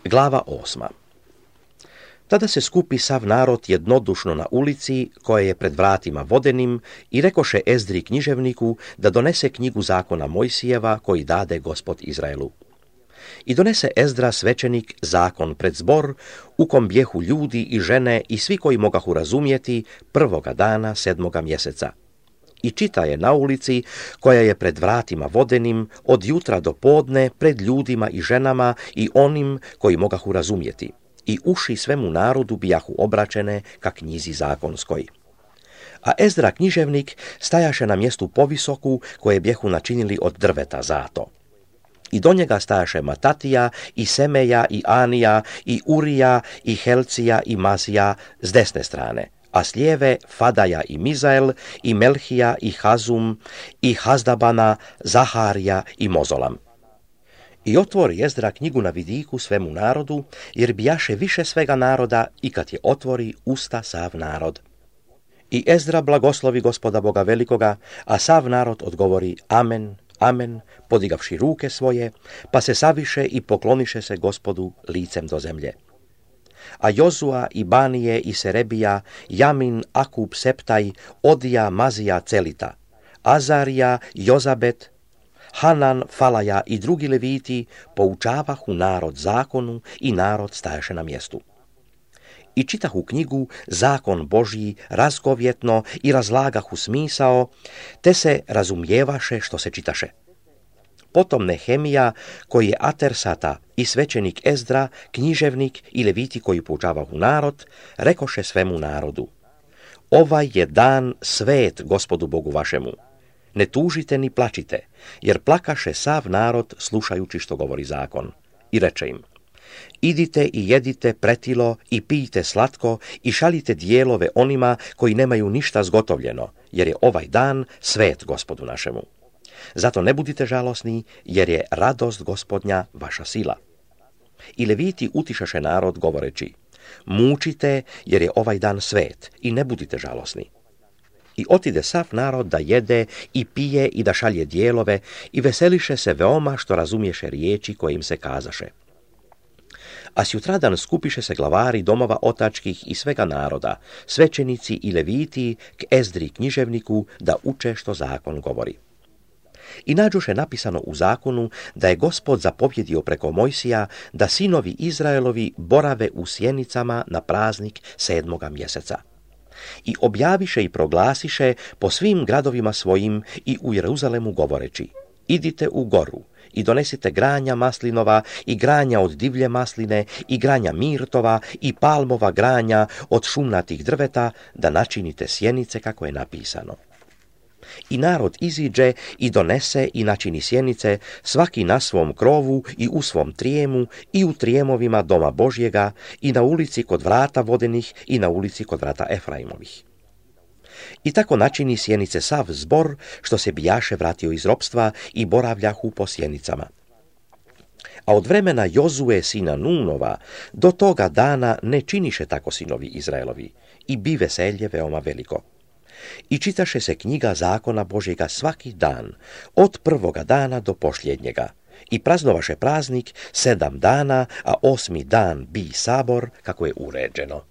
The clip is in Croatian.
Glava 8. Tada se skupi sav narod jednodušno na ulici, koja je pred vratima vodenim, i rekoše Ezdri književniku da donese knjigu zakona Mojsijeva, koji dade Gospod Izraelu. I donese Ezdra svećenik zakon pred zbor, u kom bjehu ljudi i žene i svi koji mogahu razumjeti, prvoga dana 7. mjeseca. I čita je na ulici, koja je pred vratima vodenim, od jutra do podne, pred ljudima i ženama i onim koji mogahu razumjeti. I uši svemu narodu bijahu obraćene ka knjizi zakonskoj. A Ezdra književnik stajaše na mjestu povisoku, koje bjehu načinili od drveta zato. I do njega stajaše Matatija, i Semeja, i Anija, i Urija, i Helcija, i Mazija s desne strane, a s lijeve Fadaja i Mizael, i Melhija, i Hazum, i Hazdabana, Zaharija i Mozolam. I otvori Ezdra knjigu na vidiku svemu narodu, jer bijaše više svega naroda, i kad je otvori, usta sav narod. I Ezdra blagoslovi Gospoda Boga velikoga, a sav narod odgovori Amen, Amen, podigavši ruke svoje, pa se saviše i pokloniše se Gospodu licem do zemlje. A Jozua i Banije i Serebija, Jamin, Akub, Septaj, Odija, Mazija, Celita, Azarija, Jozabet, Hanan, Falaja i drugi leviti poučavahu narod zakonu i narod stajaše na mjestu. I čitahu knjigu zakon Božji razgovjetno i razlagahu smisao, te se razumijevaše što se čitaše. Potom Nehemija, koji je Atersata i svećenik Ezdra, književnik i leviti koji poučavahu narod, rekoše svemu narodu: Ovaj je dan svet Gospodu Bogu vašemu. Ne tužite ni plačite, jer plakaše sav narod slušajući što govori zakon. I reče im: Idite i jedite pretilo i pijte slatko i šaljite dijelove onima koji nemaju ništa zgotovljeno, jer je ovaj dan svet Gospodu našemu. Zato ne budite žalosni, jer je radost Gospodnja vaša sila. I leviti utišaše narod govoreći: Mučite, jer je ovaj dan svet, i ne budite žalosni. I otide sav narod da jede i pije i da šalje dijelove i veseliše se veoma što razumješe riječi koje im se kazaše. A sjutradan skupiše se glavari domova otačkih i svega naroda, svećenici i leviti k Ezdri književniku da uče što zakon govori. I nađoše napisano u zakonu da je Gospod zapovjedio preko Mojsija da sinovi Izraelovi borave u sjenicama na praznik 7. mjeseca. I objaviše i proglasiše po svim gradovima svojim i u Jeruzalemu govoreći: Idite u goru i donesite granja maslinova i granja od divlje masline i granja mirtova i palmova granja od šumnatih drveta, da načinite sjenice kako je napisano. I narod iziđe i donese i načini sjenice, svaki na svom krovu i u svom trijemu i u trijemovima doma Božjega i na ulici kod vrata vodenih i na ulici kod vrata Efraimovih. I tako načini sjenice sav zbor, što se bijaše vratio iz ropstva i boravljahu po sjenicama. A od vremena Jozue sina Nunova do toga dana ne činiše tako sinovi Izraelovi, i bi veselje veoma veliko. I čitaše se knjiga zakona Božjega svaki dan, od prvoga dana do posljednjega, i praznovaše praznik 7 dana, a 8. dan bi sabor, kako je uređeno.